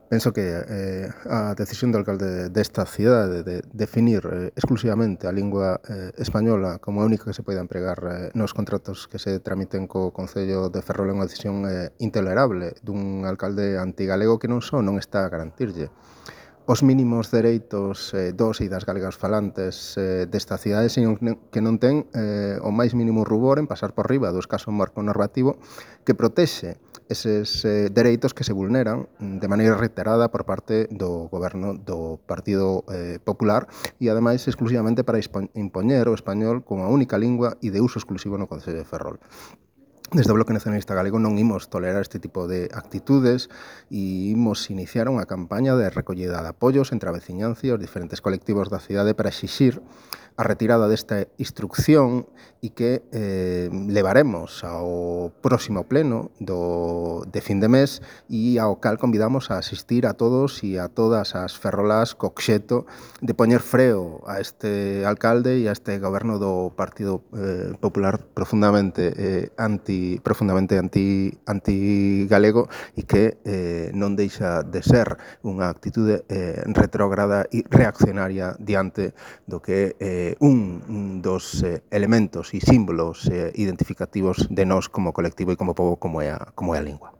Penso que a decisión do alcalde desta cidade de definir exclusivamente a lingua española como a única que se poida empregar nos contratos que se tramiten co Concello de Ferrol é unha decisión intolerable dun alcalde antigalego que non só non está a garantirlle os mínimos dereitos dos e das galegas falantes desta cidade, sino que non ten o máis mínimo rubor en pasar por riba do escaso marco normativo que protexe eses dereitos que se vulneran de maneira reiterada por parte do goberno do Partido Popular e, ademais, exclusivamente para impoñer o español como a única lingua e de uso exclusivo no Concello de Ferrol. Desde o Bloque Nacionalista Galego non imos tolerar este tipo de actitudes e imos iniciar unha campaña de recollida de apoios entre a veciñanza e os diferentes colectivos da cidade para exixir a retirada desta instrucción e que levaremos ao próximo pleno de fin de mes e ao cal convidamos a asistir a todos e a todas as ferrolás co obxecto de poñer freo a este alcalde e a este goberno do Partido Popular profundamente anti-galego e que non deixa de ser unha actitude retrógrada e reaccionaria diante do que un dos elementos e símbolos identificativos de nós como colectivo e como pobo como é a lingua.